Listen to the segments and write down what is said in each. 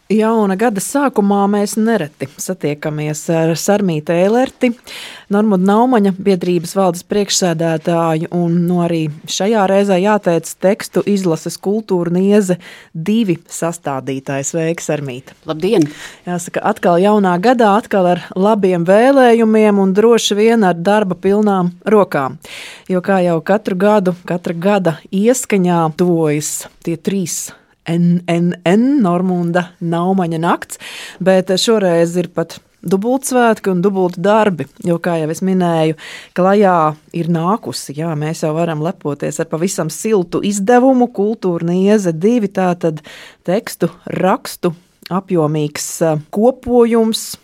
Jauna gada sākumā mēs nereti satiekamies ar Sarmīti Eilerti, Normunda Naumaņa biedrības valdes priekšsēdētāju, un arī šajā reizē jāteic tekstu izlases Kultūra Nieze 2 sastādītājs. Sveiki, Sarmīte! Labdien! Jāsaka, atkal jaunā gadā, atkal ar labiem vēlējumiem un droši vien ar darba pilnām rokām. Jo kā jau katru gadu, katra gada ieskaņā tuvojas tie 3 Normunda Naumaņa nakts, bet šoreiz ir pat dubultsvētki un dubulti darbi, jo, kā jau es minēju, klajā ir nākusi, mēs jau varam lepoties ar pavisam siltu izdevumu Kultūra Nieze 2, tātad tekstu, rakstu, apjomīgs kopojums.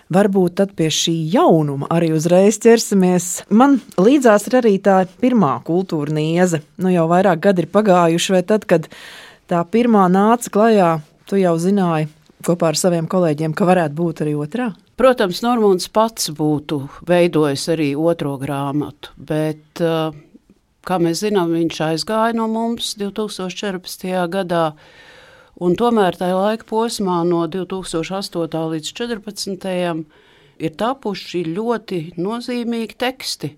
Varbūt tad pie šī jaunuma arī uzreiz ķersimies. Man līdzās ir arī tā pirmā Kultūra Nieze, jau vairāk gadi ir pagājuši, vai tad, kad tā pirmā nāca klajā, tu jau zināji kopā ar saviem kolēģiem, ka varētu būt arī otrā? Protams, Normunds pats būtu veidojis arī otro grāmatu, bet, kā mēs zinām, viņš aizgāja no mums 2014. gadā, un tomēr tajā laika posmā no 2008. līdz 2014. ir tapuši ļoti nozīmīgi teksti.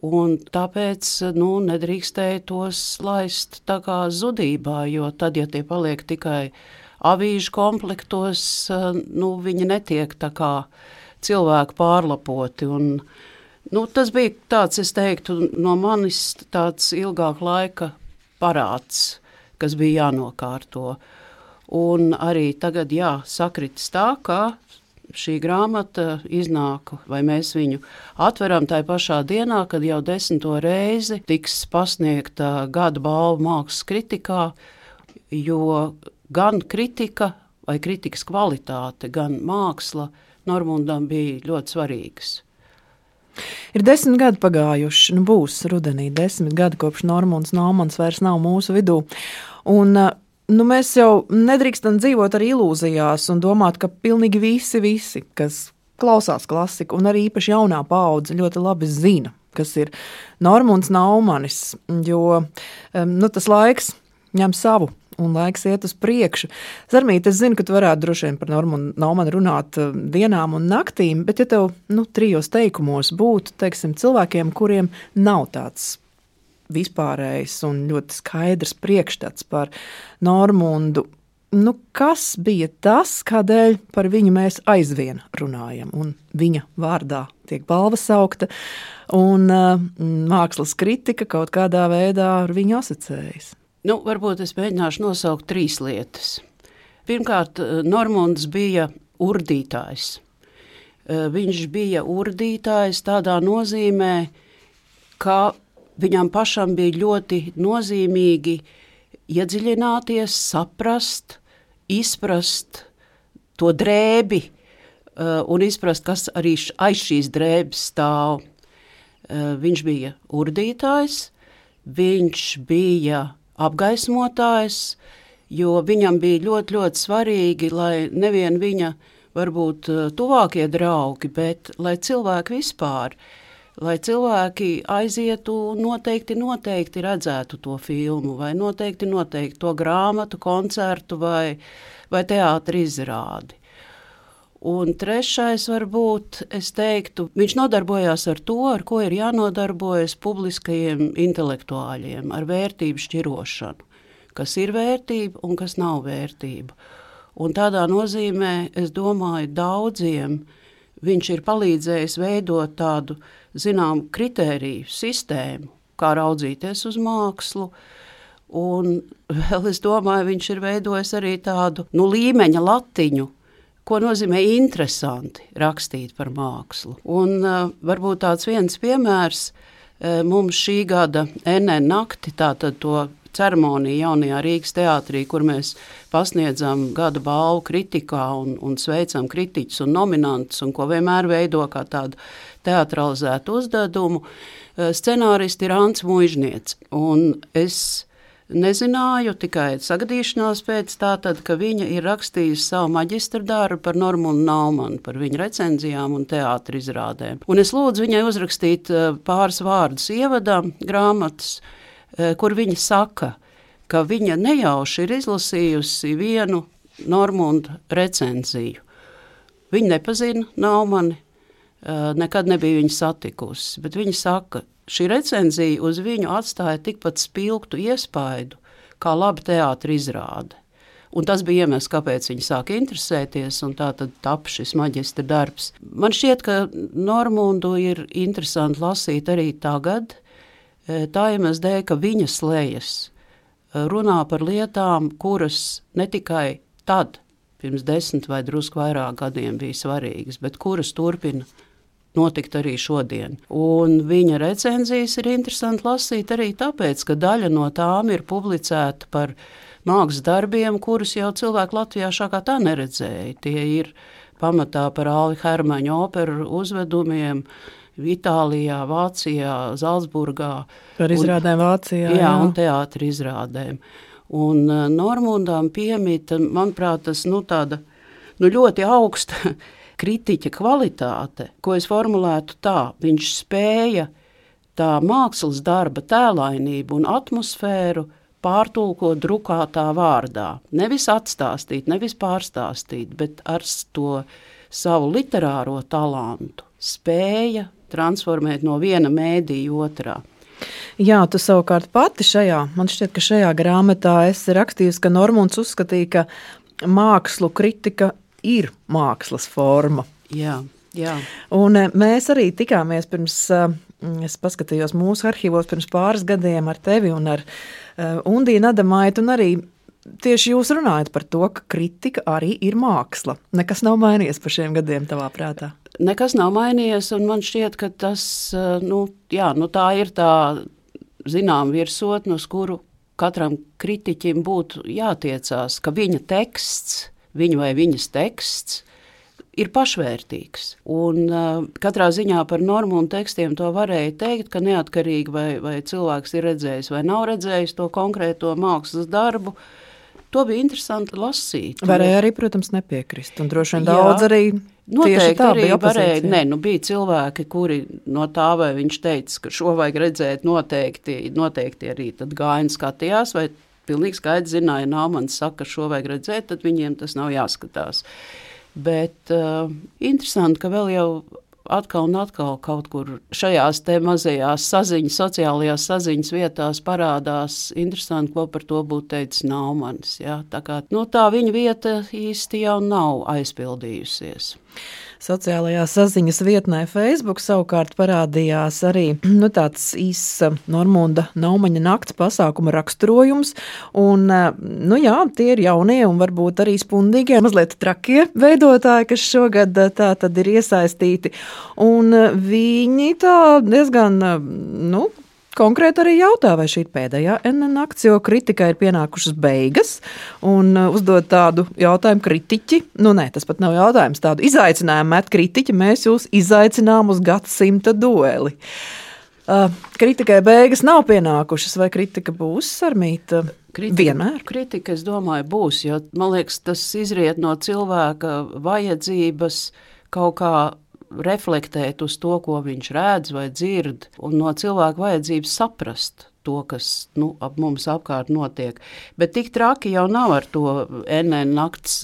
Un tāpēc nedrīkstēja tos laist tā kā zudībā, jo tad, ja tie paliek tikai avīžu komplektos, viņi netiek tā kā cilvēki pārlapoti. Un, tas bija tāds, es teiktu, no manis tāds ilgāk laika parāds, kas bija jānokārto. Un arī tagad, sakritis tā, ka šī grāmata iznāk, vai mēs viņu atveram tajā pašā dienā, kad jau 10. reizi tiks pasniegta gada balva mākslas kritikā, jo gan kritika vai kritikas kvalitāte, gan māksla Normundam bija ļoti svarīgas. Ir 10 gadi pagājuši, būs rudenī 10 gadi, kopš Normunds Naumaņs vairs nav mūsu vidū. Un mēs jau nedrīkstam dzīvot ar ilūzijās un domāt, ka pilnīgi visi, kas klausās klasiku, un arī īpaši jaunā paudze ļoti labi zina, kas ir Normunds Naumanis, jo tas laiks ņem savu un laiks iet uz priekšu. Sarmīte, es zinu, ka tu varētu droši vien par Normundu Naumani runāt dienām un naktīm, bet ja tev 3 teikumos būtu, teiksim, cilvēkiem, kuriem nav tāds vispārējs un ļoti skaidrs priekšstats par Normundu. Kas bija tas, kādēļ par viņu mēs aizvien runājam, un viņa vārdā tiek balva saukta, un mākslas kritika kaut kādā veidā ar viņu asociējas? Varbūt es mēģināšu nosaukt 3 lietas. Pirmkārt, Normunds bija urdītājs. Viņš bija urdītājs tādā nozīmē, ka viņam pašam bija ļoti nozīmīgi iedziļināties, saprast, izprast to drēbi un izprast, kas arī aiz šīs drēbes stāv. Viņš bija urdītājs, viņš bija apgaismotājs, jo viņam bija ļoti, ļoti svarīgi, lai nevien viņa varbūt tuvākie draugi, bet lai cilvēki vispār, lai cilvēki aizietu noteikti redzētu to filmu, vai noteikti to grāmatu, koncertu vai teātra izrādi. Un trešais varbūt, es teiktu, viņš nodarbojās ar to, ar ko ir jānodarbojas publiskajiem intelektuāļiem, ar vērtību šķirošanu, kas ir vērtība un kas nav vērtība. Un tādā nozīmē, es domāju, daudziem viņš ir palīdzējis veidot tādu, kritēriju sistēmu, kā raudzīties uz mākslu, un vēl es domāju, viņš ir veidojis arī tādu, līmeņa latiņu, ko nozīmē interesanti rakstīt par mākslu. Un varbūt tāds viens piemērs, mums šī gada NN nakti, tātad to ceremoniju jaunajā Rīgas teātrī, kur mēs pasniedzam gada balvu kritikā un sveicam kritiķus un nominantus, un ko vienmēr veido kā tādu teatralizētu uzdevumu. Scenāristi ir Ants Muižniec, un es nezināju, tikai sagadīšanās pēc tātad, ka viņa ir rakstījusi savu maģistra darbu par Normundu Naumani, par viņa recenzijām un teātra izrādēm. Un es lūdzu viņai uzrakstīt pāris vārdus ievadam grāmatas, kur viņa saka, ka viņa nejauši ir izlasījusi vienu Normunda recenziju. Viņa nepazina Naumani, nekad nebija viņu satikusi, bet viņa saka, šī recenzija uz viņu atstāja tikpat spilgtu iespaidu, kā laba teātra izrāde. Un tas bija iemesls, kāpēc viņi sāka interesēties, un tā tad tapa šis maģistra darbs. Man šķiet, ka Normundu ir interesanti lasīt arī tagad, tā iemesls dēļ, ka viņas lejas runā par lietām, kuras ne tikai tad, pirms 10 vai drusku vairāk gadiem bija svarīgas, bet kuras turpina notikt arī šodien. Un viņa recenzijas ir interesanti lasīt arī tāpēc, ka daļa no tām ir publicēta par mākslas darbiem, kurus jau cilvēki Latvijā šākā tā neredzēja. Tie ir pamatā par Alvi Hermaņa operu uzvedumiem Itālijā, Vācijā, Zalcburgā. Par izrādēm Vācijā. Jā, un teātra izrādēm. Un Normundām piemīta, manuprāt, tas tāda ļoti augsta kritiķa kvalitāte, ko es formulētu tā. Viņš spēja tā mākslas darba tēlainību un atmosfēru pārtulkot drukātā vārdā. Nevis atstāstīt, nevis pārstāstīt, bet ar to savu literāro talantu spēja transformēt no viena mēdīja otrā. Jā, tu savukārt pati man šķiet, ka šajā grāmatā esi rakstījusi, ka Normunds uzskatīja, ka mākslu kritika ir mākslas forma. Jā. Un mēs arī tikāmies pirms, es paskatījos mūsu arhīvos pirms pāris gadiem ar tevi un ar Undīnu Adamaitu, un arī tieši jūs runājat par to, ka kritika arī ir māksla. Nekas nav mainījies par šiem gadiem tavā prātā? Nekas nav mainījies, un man šķiet, ka tas, tā ir tā zinām virsotne, uz kuru katram kritiķim būtu jātiecās, ka viņa teksts, viņa vai viņas teksts ir pašvērtīgs. Un katrā ziņā par Normundu tekstiem to varēja teikt, ka neatkarīgi vai cilvēks ir redzējis vai nav redzējis to konkrēto mākslas darbu, to bija interesanti lasīt. Varēja arī, protams, nepiekrist, un droši vien daudz arī noteikti tā arī varēja. Bija cilvēki, kuri no tā, vai viņš teica, ka šo vajag redzēt noteikti arī tad gāja un skatījās, vai pilnīgi skaidrs zināja, Naumans saka, ka šo vajag redzēt, tad viņiem tas nav jāskatās. Bet interesanti, ka vēl jau atkal un atkal kaut kur šajās te mazajās sociālajās saziņas vietās parādās interesanti, ko par to būtu teicis Naumans. Ja? Tā kā tā viņa vieta īsti jau nav aizpildījusies. Sociālajā saziņas vietnē Facebook savukārt parādījās arī tāds īss Normunda Naumaņa nakts pasākuma raksturojums. Un, tie ir jaunie un varbūt arī spundīgie, mazliet trakie veidotāji, kas šogad tā tad ir iesaistīti. Un viņi tā diezgan, konkrēti arī jautā, vai šī ir pēdējā nakts, jo kritikai ir pienākušas beigas, un uzdod tādu jautājumu kritiķi, tas pat nav jautājums, tādu izaicinājumu met kritiķi, mēs jūs izaicinām uz gadsimta dueli. Kritikai beigas nav pienākušas, vai kritika būs, Sarmīta, vienmēr? Kritika, es domāju, būs, jo, man liekas, tas izriet no cilvēka vajadzības kaut kā reflektēt uz to, ko viņš redz vai dzird, un no cilvēka vajadzības saprast to, kas ap mums apkārt notiek. Bet tik traki jau nav ar to nakts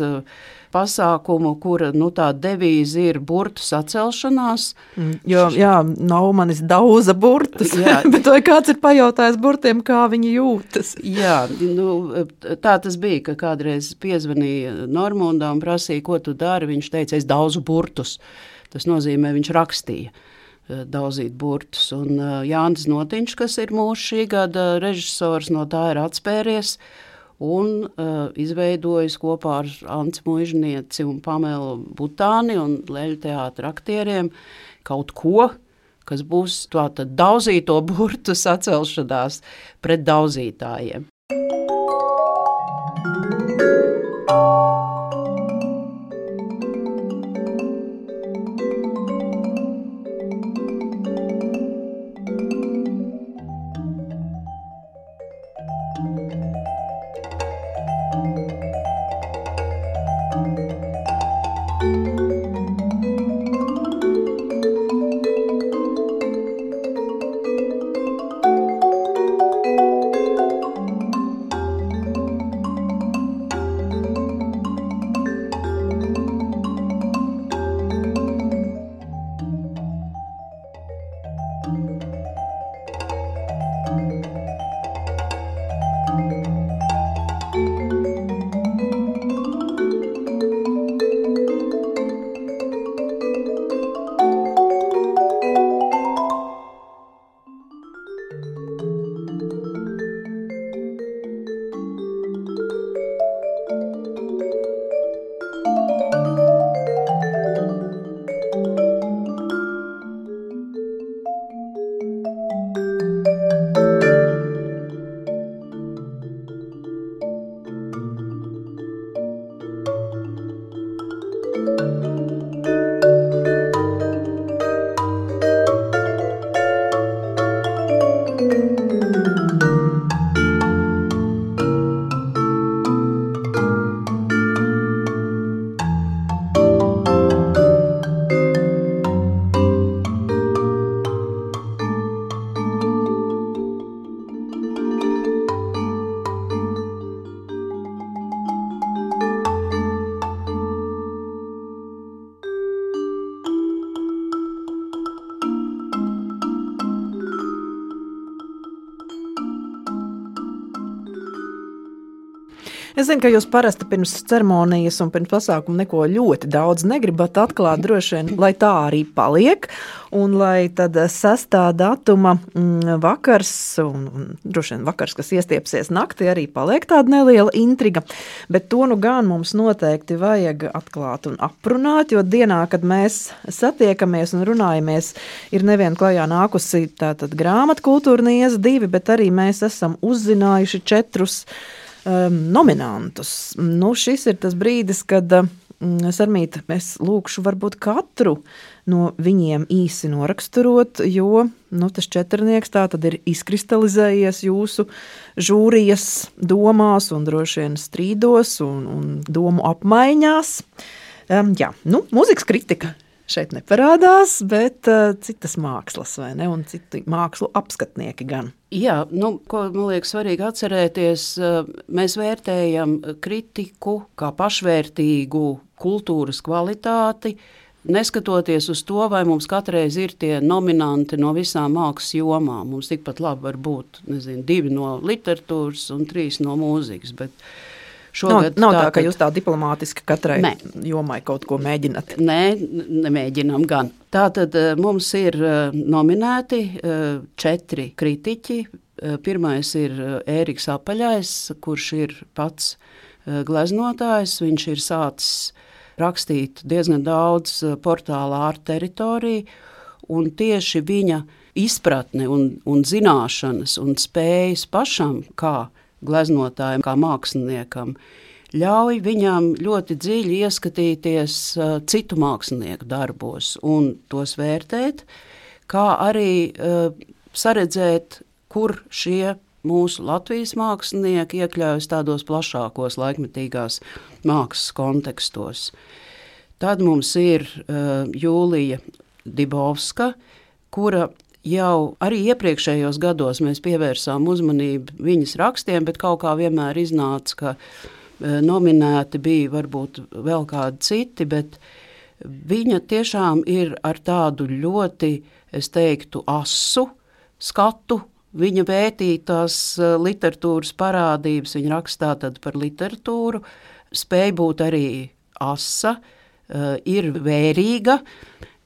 pasākumu, kura tā devīze ir burtu sacelšanās. Jo, Naumanis dauza burtus, bet vai kāds ir pajautājis burtiem, kā viņi jūtas? Jā, tā tas bija, ka kādreiz piezvanīja Normundam un prasīja, ko tu dari, viņš teica, es dauzu burtus. Tas nozīmē, viņš rakstīja daudzīt burtus. Un Jānis Notiņš, kas ir mūsu šī gada režisors, no tā ir atspēries un izveidojis kopā ar Anci Muižnieci un Pamelu Butāni un Leļu teātra aktieriem kaut ko, kas būs tātad daudzīto burtu sacelšanās pret daudzītājiem. Es zinu, ka jūs parasti pirms ceremonijas un pirms pasākuma neko ļoti daudz negribat atklāt, droši vien, lai tā arī paliek, un lai tad 6. datuma vakars, un droši vien vakars, kas iestiepsies naktī, arī paliek tāda neliela intriga, bet to nu gan mums noteikti vajag atklāt un aprunāt, jo dienā, kad mēs satiekamies un runājamies, ir nevien klajā nākusi tātad grāmatu kultūra nieza 2, bet arī mēs esam uzzinājuši 4 nominantus. Nu, šis ir tas brīdis, kad Sarmīta, es lūkšu varbūt katru no viņiem īsi noraksturot, jo tas 4 tā tad ir izkristalizējies jūsu žūrijas domās un droši vien strīdos un domu apmaiņās. Mūzikas kritika šeit neparādās, bet citas mākslas, vai ne, un citi mākslu apskatnieki gan. Jā, ko man liekas svarīgi atcerēties, mēs vērtējam kritiku kā pašvērtīgu kultūras kvalitāti, neskatoties uz to, vai mums katreiz ir tie nominanti no visām mākslas jomām. Mums tikpat labi var būt, 2 no literatūras un 3 no mūzikas, bet šogad nav tā, ka jūs tā diplomātiski katrai jomai kaut ko mēģināt. Nē, nemēģinām gan. Tātad mums ir nominēti 4 kritiķi. Pirmais ir Ēriks Apaļais, kurš ir pats gleznotājs. Viņš ir sācis rakstīt diezgan daudz portālā Art Teritorija, un tieši viņa izpratne un zināšanas un spējas pašam, kā gleznotājiem, kā māksliniekam, ļauj viņam ļoti dziļi ieskatīties citu mākslinieku darbos un tos vērtēt, kā arī saredzēt, kur šie mūsu Latvijas mākslinieki iekļaujas tādos plašākos laikmetīgās mākslas kontekstos. Tad mums ir Jūlija Dibovska, kura jau arī iepriekšējos gados mēs pievērsām uzmanību viņas rakstiem, bet kaut kā vienmēr iznāca, ka nominēti bija varbūt vēl kādi citi, bet viņa tiešām ir ar tādu ļoti, es teiktu, asu skatu. Viņa vētītās literatūras parādības, viņa rakstā tad par literatūru, spēj būt arī asa, ir vērīga,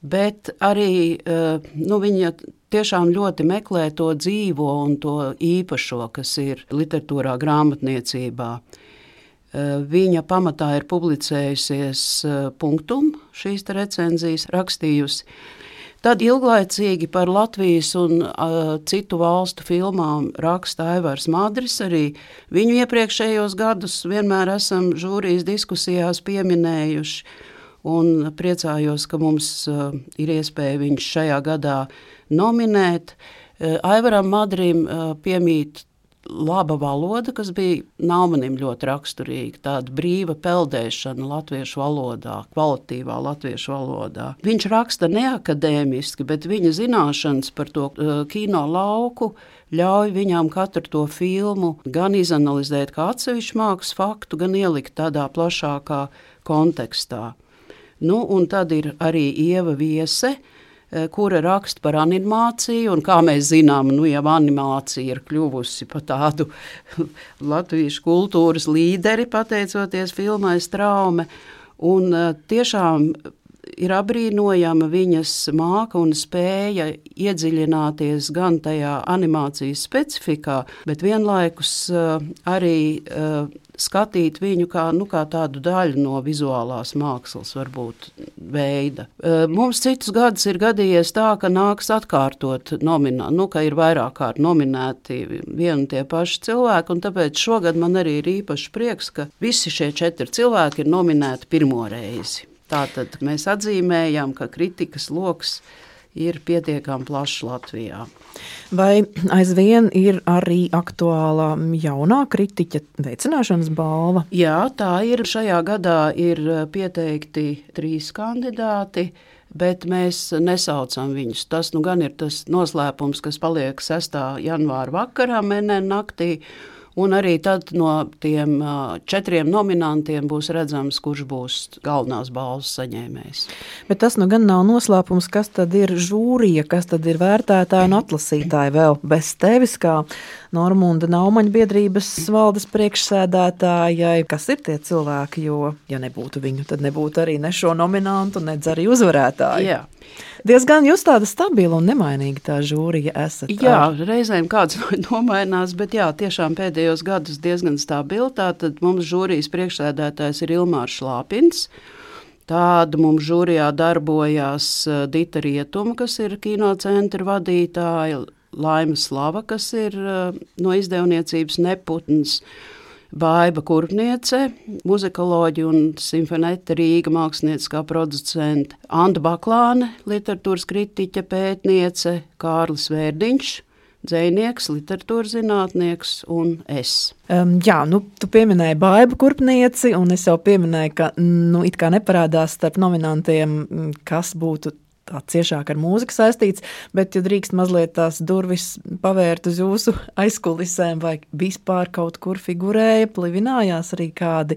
bet arī viņa tiešām ļoti meklē to dzīvo un to īpašo, kas ir literatūrā, grāmatniecībā. Viņa pamatā ir publicējusies Punktum, šīs recenzijas rakstījusi. Tad ilglaicīgi par Latvijas un citu valstu filmām raksta Aivars Madris. Arī viņu iepriekšējos gadus vienmēr esam žūrijas diskusijās pieminējuši. Un priecājos, ka mums ir iespēja viņš šajā gadā nominēt. Aivaram Madrim piemīt laba valoda, kas bija Naumanim ļoti raksturīga, tāda brīva peldēšana latviešu valodā, kvalitīvā latviešu valodā. Viņš raksta neakadēmiski, bet viņa zināšanas par to kino lauku ļauj viņam katru to filmu gan izanalizēt kā atsevišķu mākslas faktu, gan ielikt tādā plašākā kontekstā. Un tad ir arī Ieva Viese, kura raksta par animāciju, un kā mēs zinām, jau animācija ir kļuvusi par tādu latviešu kultūras līderi, pateicoties filmai Straume, un tiešām ir abrīnojama viņas māka un spēja iedziļināties gan tajā animācijas specifikā, bet vienlaikus arī skatīt viņu kā tādu daļu no vizuālās mākslas, varbūt veida. Mums citus gadus ir gadījies tā, ka nāks atkārtot ka ir vairāk kārt nominēti vien un tie paši cilvēki, un tāpēc šogad man arī ir īpaši prieks, ka visi šie 4 cilvēki ir nominēti pirmo reizi. Tātad mēs atzīmējam, ka kritikas loks ir pietiekami plašs Latvijā. Vai aizvien ir arī aktuālā jaunā kritiķa veicināšanas balva? Jā, tā ir. Šajā gadā ir pieteikti 3 kandidāti, bet mēs nesaucam viņus. Tas nu gan ir tas noslēpums, kas paliek 6. janvāra vakarā, MNN naktī. Un arī tad no tiem 4 nominantiem būs redzams, kurš būs galvenās balvas saņēmējs. Bet tas nu gan nav noslēpums, kas tad ir žūrija, kas tad ir vērtētāji un atlasītāji vēl bez tevis, kā Normunda Naumaņa biedrības valdes priekšsēdētājai. Kas ir tie cilvēki, jo, ja nebūtu viņu, tad nebūtu arī ne šo nominantu, nedz arī uzvarētāju. Jā. Diezgan jūs tāda stabila un nemainīga tā žūrija esat. Jā, reizēm kāds nomainās, bet jā, tiešām pēdējos gadus diezgan stabili. Tātad mums žūrijas priekšsēdētājs ir Ilmārs Šlāpins. Tāda mums žūrijā darbojās Dita Rietuma, kas ir kinocentra vadītāja, Laima Slava, kas ir no izdevniecības Neputns, Baiba Kurpniece, muzikoloģi un simfonēta Rīga mākslinieckā producente, Anda Baklāne, literatūras kritiķa pētniece, Kārlis Vērdiņš, dzejnieks, literatūras zinātnieks un es. Jā, tu pieminēji Baibu Kurpnieci, un es jau pieminēju, ka it kā neparādās starp nominantiem, kas būtu tā ciešāk ar mūziku saistīts, bet, ja drīkst mazliet tās durvis pavērt uz jūsu aizkulisēm, vai vispār kaut kur figurēja, plivinājās arī kādi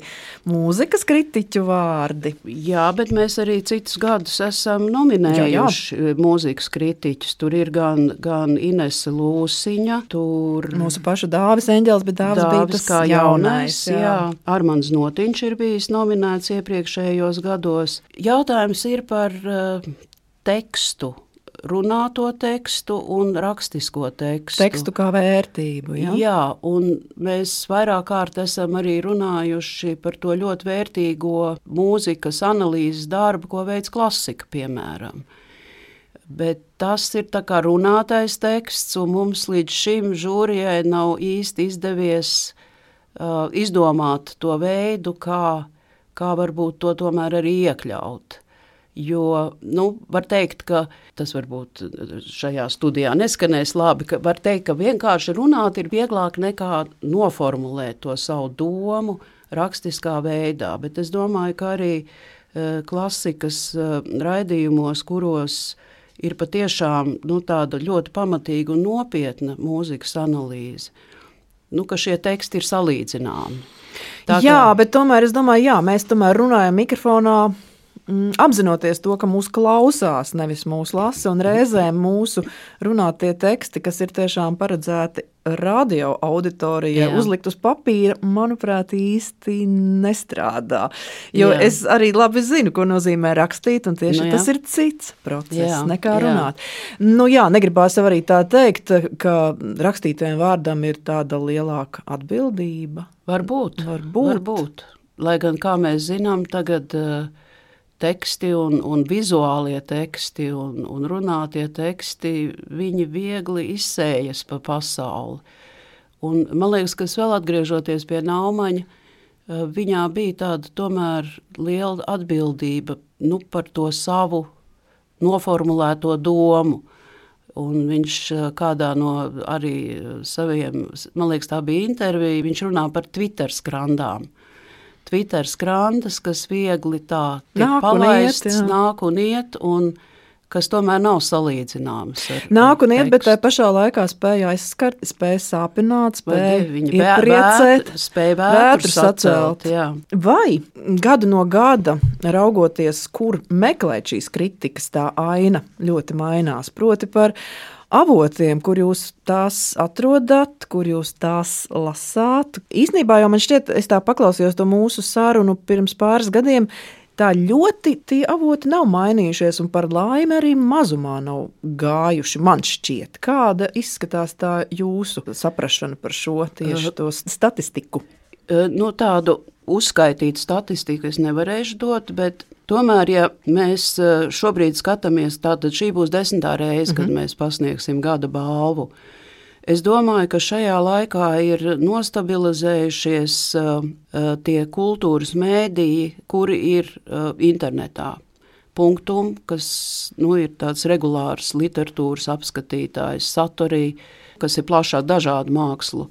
mūzikas kritiķu vārdi? Jā, bet mēs arī citus gadus esam nominējuši mūzikas kritiķus. Tur ir gan Inese Lūsiņa, tur... Mūsu paša Dāvis Eņģelis, bet Dāvis bija tas kā jaunais. Jā. Armands Notiņš ir bijis nominēts iepriekšējos gados. Jautājums ir par... tekstu, runāto tekstu un rakstisko tekstu. Tekstu kā vērtību, ja? Jā, un mēs vairāk kārt esam arī runājuši par to ļoti vērtīgo mūzikas analīzes darbu, ko veids klasika, piemēram. Bet tas ir tā kā runātais teksts, un mums līdz šim žūrijai nav īsti izdevies izdomāt to veidu, kā varbūt to tomēr arī iekļaut. Jo, var teikt, ka tas varbūt šajā studijā neskanēs labi, ka var teikt, ka vienkārši runāt ir vieglāk nekā noformulēt to savu domu rakstiskā veidā, bet es domāju, ka arī klasikas raidījumos, kuros ir patiešām tāda ļoti pamatīga un nopietna mūzikas analīze, ka šie teksti ir salīdzināmi. Jā, bet tomēr es domāju, mēs tomēr runājam mikrofonā, apzinoties to, ka mūs klausās, nevis mūs lasa, un reizēm mūsu runātie teksti, kas ir tiešām paredzēti radio auditorijai, uzlikt uz papīra, manuprāt, īsti nestrādā. Jo es arī labi zinu, ko nozīmē rakstīt, un tieši tas ir cits process, nekā runāt. Negribās arī tā teikt, ka rakstītajam vārdam ir tāda lielāka atbildība. Varbūt. Lai gan, kā mēs zinām, tagad... teksti un vizuālie teksti un runātie teksti, viņi viegli izsējas pa pasauli. Un man liekas, ka vēl atgriežoties pie Naumaņa, viņā bija tāda tomēr liela atbildība par to savu noformulēto domu. Un viņš kādā no arī saviem, man liekas, tā bija intervija, viņš runā par Twitter skrandām. Twitter skrandas, kas viegli tā tiek palaists, nāk un iet, un kas tomēr nav salīdzināmas. Nāk un iet, bet tajā pašā laikā spēja aizskart, spēja sāpināt, spēja iepriecēt, spēja vētru sacelt. Vai gadu no gada, raugoties, kur meklēt šīs kritikas, tā aina ļoti mainās, proti par avotiem, kur jūs tās atrodat, kur jūs tās lasāt. Īsnībā jau man šķiet, es tā paklausījos to mūsu sarunu pirms pāris gadiem, tā ļoti tie avoti nav mainījušies un par laimi arī mazumā nav gājuši, man šķiet. Kāda izskatās tā jūsu saprašana par šo tieši to statistiku? Tādu uzskaitītu statistiku es nevarēšu dot, bet tomēr, ja mēs šobrīd skatāmies, tātad šī būs 10. reize, kad mēs pasniegsim gada balvu. Es domāju, ka šajā laikā ir nostabilizējušies tie kultūras mēdīji, kuri ir internetā. Punktum, kas ir tāds regulārs literatūras apskatītājs, Satorī, kas ir plašāk dažādu mākslu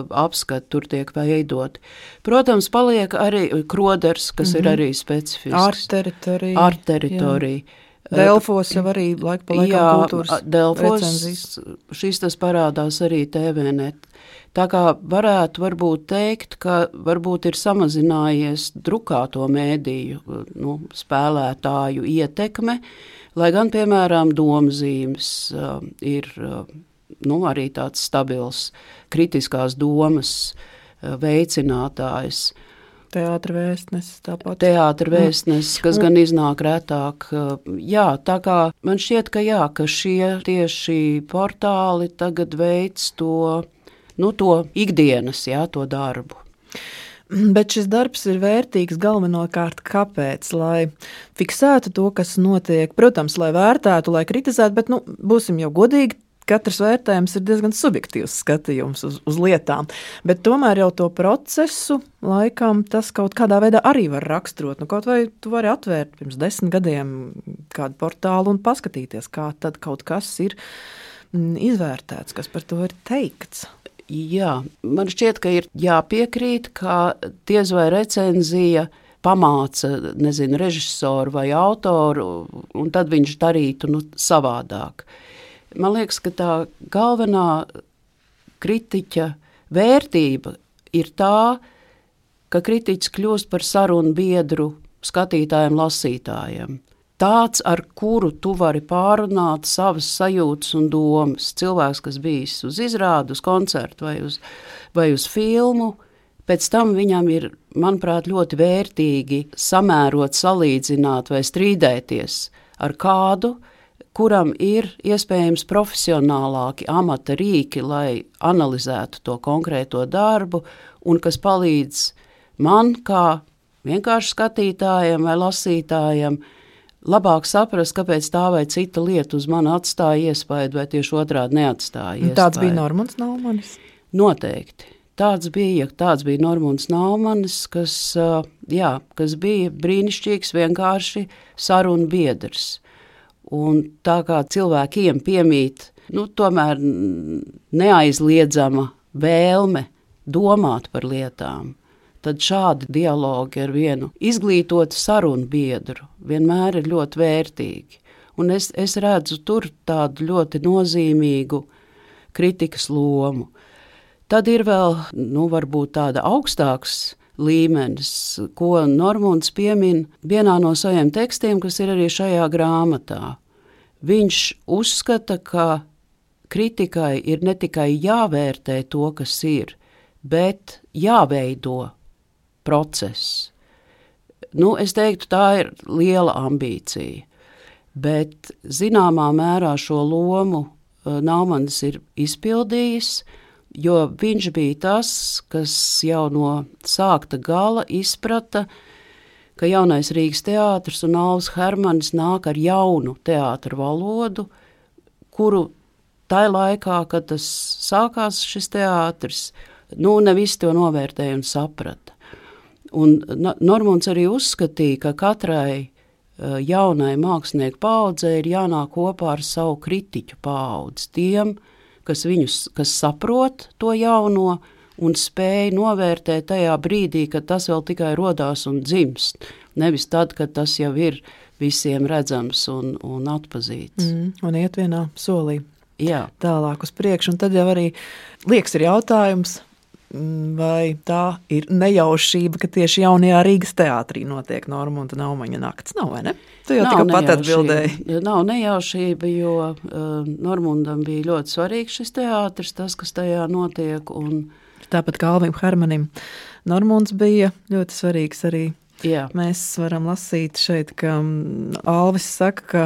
apskati, tur tiek veidoti. Protams, paliek arī Kroders, kas ir arī specifisks. Art-teritorija. Delfos jau arī laika pa laikam kultūras recenzijas. Šis tas parādās arī TVNet. Tā kā varētu varbūt teikt, ka varbūt ir samazinājies drukāto mēdīju spēlētāju ietekme, lai gan, piemēram, domzīmes ir arī tāds stabils kritiskās domas veicinātājs. Teātra vēstnesis tāpat. Teātra vēstnesis, kas gan iznāk retāk. Jā, tā kā man šķiet, ka šie tieši portāli tagad veic to ikdienas, to darbu. Bet šis darbs ir vērtīgs galvenokārt kāpēc? Lai fiksētu to, kas notiek, protams, lai vērtētu, lai kritizētu, bet, būsim jau godīgi, katrs vērtējums ir diezgan subjektīvs skatījums uz lietām, bet tomēr jau to procesu laikam tas kaut kādā veidā arī var raksturot. Kaut vai tu vari atvērt pirms 10 gadiem kādu portālu un paskatīties, kā tad kaut kas ir izvērtēts, kas par to ir teikts. Jā, man šķiet, ka ir jāpiekrīt, ka diez vai recenzija pamāca, režisoru vai autoru, un tad viņš darītu savādāk. Man liekas, ka tā galvenā kritiķa vērtība ir tā, ka kritiķis kļūst par sarunu biedru skatītājiem, lasītājiem. Tāds, ar kuru tu vari pārunāt savas sajūtas un domas. Cilvēks, kas bijis uz izrādu, uz koncertu vai uz filmu, pēc tam viņam ir, manuprāt, ļoti vērtīgi samērot, salīdzināt vai strīdēties ar kādu, kuram ir iespējams profesionālāki amata rīki, lai analizētu to konkrēto darbu, un kas palīdz man, kā vienkārši skatītājam vai lasītājam, labāk saprast, kāpēc tā vai cita lieta uz mani atstāja iespaidu, vai tieši otrādi neatstāja iespaidu. Tāds bija Normunds Naumanis? Noteikti. Tāds bija Normunds Naumanis, kas bija brīnišķīgs, vienkārši sarunu biedrs. Un tā kā cilvēkiem piemīt, tomēr neaizliedzama vēlme domāt par lietām, tad šādi dialogi ar vienu izglītotu sarunu biedru vienmēr ir ļoti vērtīgi. Un es redzu tur tādu ļoti nozīmīgu kritikas lomu. Tad ir vēl, varbūt tāda augstāks līmenis, ko Normunds piemin vienā no saviem tekstiem, kas ir arī šajā grāmatā. Viņš uzskata, ka kritikai ir ne tikai jāvērtē to, kas ir, bet jāveido process. Es teiktu, tā ir liela ambīcija, bet zināmā mērā šo lomu Naumanis ir izpildījis, jo viņš bija tas, kas jau no sākta gala izprata, ka jaunais Rīgas teātris un Alvis Hermanis nāk ar jaunu teātra valodu, kuru tajā laikā, kad tas sākās šis teātris, ne visi to novērtēja un saprata. Un Normunds arī uzskatīja, ka katrai jaunai mākslinieku paaudzei ir jānāk kopā ar savu kritiķu paudzi, tiem, kas saprot to jauno un spēj novērtēt tajā brīdī, kad tas vēl tikai rodās un dzimst, nevis tad, kad tas jau ir visiem redzams un atpazīts. Un iet vienā solī. Jā. Tālāk uz priekšu, un tad jau arī liekas ir jautājums, vai tā ir nejaušība, ka tieši jaunajā Rīgas teātrī notiek Normunda Naumaņa nakts, nav, vai ne? Tu jau tikai pat atbildēji. Nav nejaušība, jo Normundam bija ļoti svarīgs šis teātris, tas, kas tajā notiek. Un tāpat kā Alvim Hermanim. Normunds bija ļoti svarīgs arī. Jā. Mēs varam lasīt šeit, ka Alvis saka, ka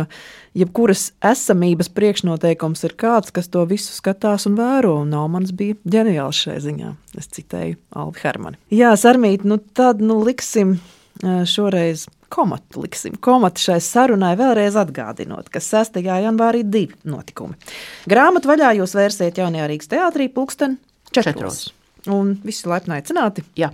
jebkuras esamības priekšnoteikums ir kāds, kas to visu skatās un vēro, un Naumans bija ģeniāls šai ziņā. Es citēju Alvi Hermani. Jā, Sarmīt, tad liksim šoreiz komatu šai sarunai vēlreiz atgādinot, ka 6. janvārī 2 notikumi. Grāmatu vaļā jūs vērsiet Jaunajā Rīgas teātrī 4:00. Un visi laipni aicināti. Jā.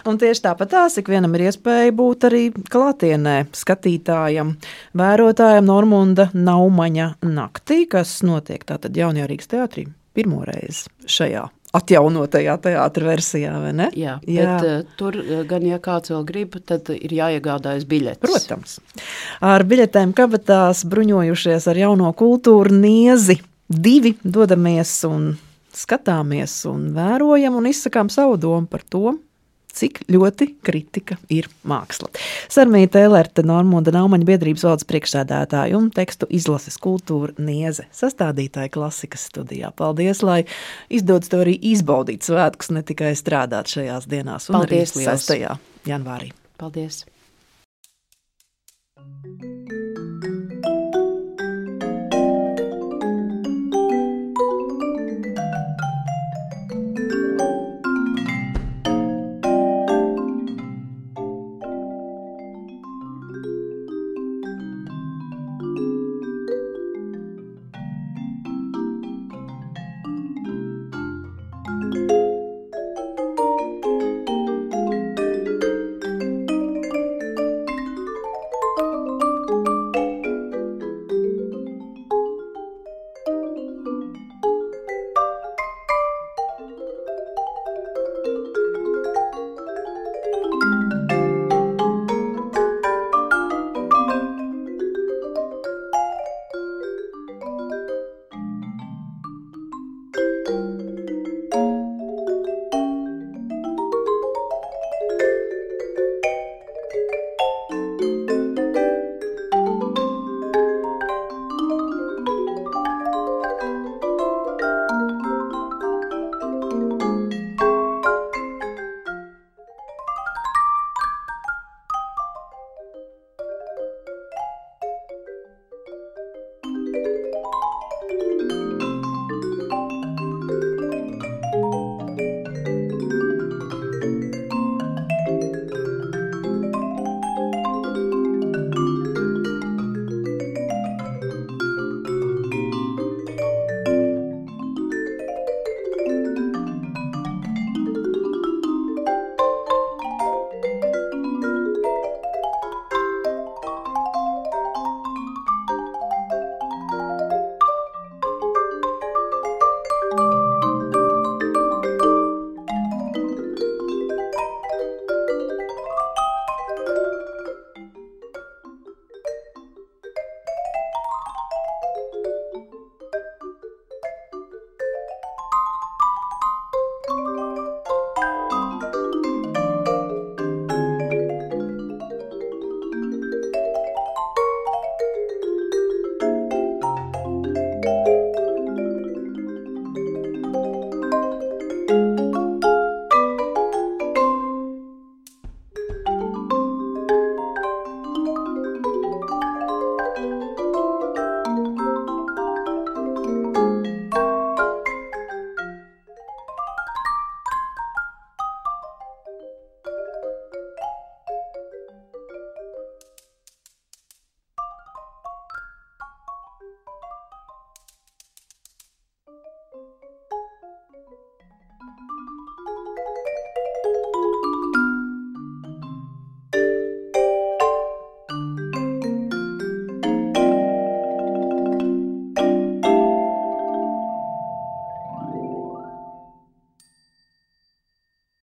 Un tieši tāpat ikvienam ir iespēja būt arī klātienē skatītājam, vērotājam Normunda Naumaņa naktī, kas notiek tātad Jaunajā Rīgas teātrī pirmoreiz šajā atjaunotajā teātra versijā, vai ne? Jā. Bet tur gan, ja kāds vēl grib, tad ir jāiegādājas biļetes. Protams. Ar biļetēm kabatās bruņojušies ar jauno kultūru Niezi 2 dodamies un skatāmies un vērojam un izsakām savu domu par to, cik ļoti kritika ir māksla. Sarmīta Elerte, Normunda Naumaņa biedrības valdes priekšsēdētāja un tekstu izlases kultūra Nieze, sastādītāja klasikas studijā. Paldies, lai izdodas tev arī izbaudīt svētkus, ne tikai strādāt šajās dienās un Paldies, arī 6. janvārī. Paldies!